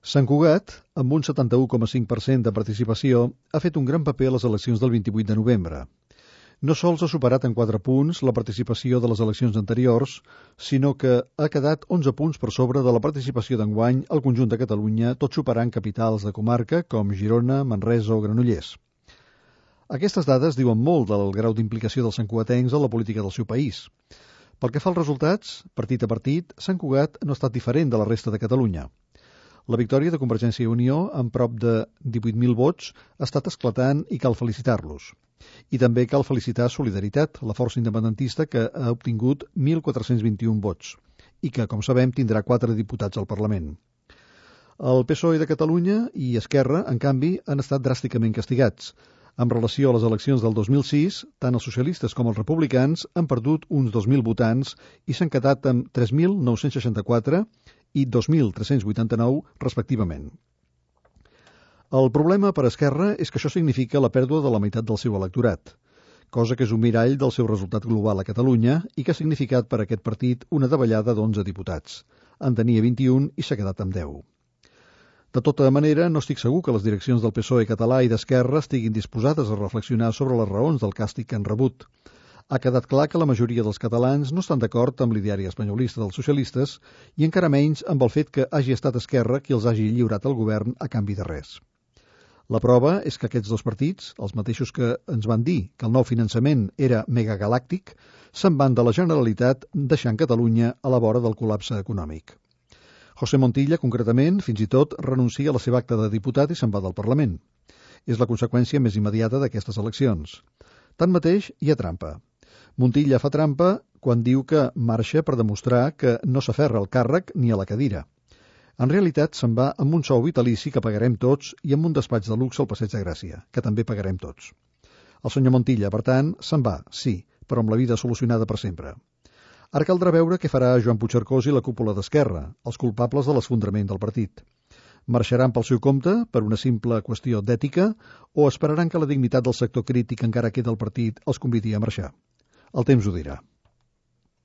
Sant Cugat, amb un 71,5% de participació, ha fet un gran paper a les eleccions del 28 de novembre. No sols ha superat en 4 punts la participació de les eleccions anteriors, sinó que ha quedat 11 punts per sobre de la participació d'enguany al conjunt de Catalunya, tot superant capitals de comarca com Girona, Manresa o Granollers. Aquestes dades diuen molt del grau d'implicació dels santcugatencs a la política del seu país. Pel que fa als resultats, partit a partit, Sant Cugat no ha estat diferent de la resta de Catalunya. La victòria de Convergència i Unió, amb prop de 18.000 vots, ha estat esclatant i cal felicitar-los. I també cal felicitar Solidaritat, la força independentista que ha obtingut 1.421 vots i que, com sabem, tindrà 4 diputats al Parlament. El PSOE de Catalunya i Esquerra, en canvi, han estat dràsticament castigats. En relació a les eleccions del 2006, tant els socialistes com els republicans han perdut uns 2.000 votants i s'han quedat amb 3.964 i 2.389, respectivament. El problema per Esquerra és que això significa la pèrdua de la meitat del seu electorat, cosa que és un mirall del seu resultat global a Catalunya i que ha significat per a aquest partit una davallada d'11 diputats. En tenia 21 i s'ha quedat amb 10. De tota manera, no estic segur que les direccions del PSOE català i d'Esquerra estiguin disposades a reflexionar sobre les raons del càstig que han rebut. Ha quedat clar que la majoria dels catalans no estan d'acord amb l'ideari espanyolista dels socialistes i encara menys amb el fet que hagi estat Esquerra qui els hagi lliurat al govern a canvi de res. La prova és que aquests dos partits, els mateixos que ens van dir que el nou finançament era megagalàctic, se'n van de la Generalitat deixant Catalunya a la vora del col·lapse econòmic. José Montilla, concretament, fins i tot renuncia a la seva acta de diputat i se'n va del Parlament. És la conseqüència més immediata d'aquestes eleccions. Tanmateix, hi ha trampa. Montilla fa trampa quan diu que marxa per demostrar que no s'aferra al càrrec ni a la cadira. En realitat se'n va amb un sou vitalici que pagarem tots i amb un despatx de luxe al Passeig de Gràcia, que també pagarem tots. El senyor Montilla, per tant, se'n va, sí, però amb la vida solucionada per sempre. Ara caldrà veure què farà Joan Puigcercós i la cúpula d'Esquerra, els culpables de l'esfondrament del partit. Marxaran pel seu compte, per una simple qüestió d'ètica, o esperaran que la dignitat del sector crític encara queda al partit els convidi a marxar? El temps ho dirà.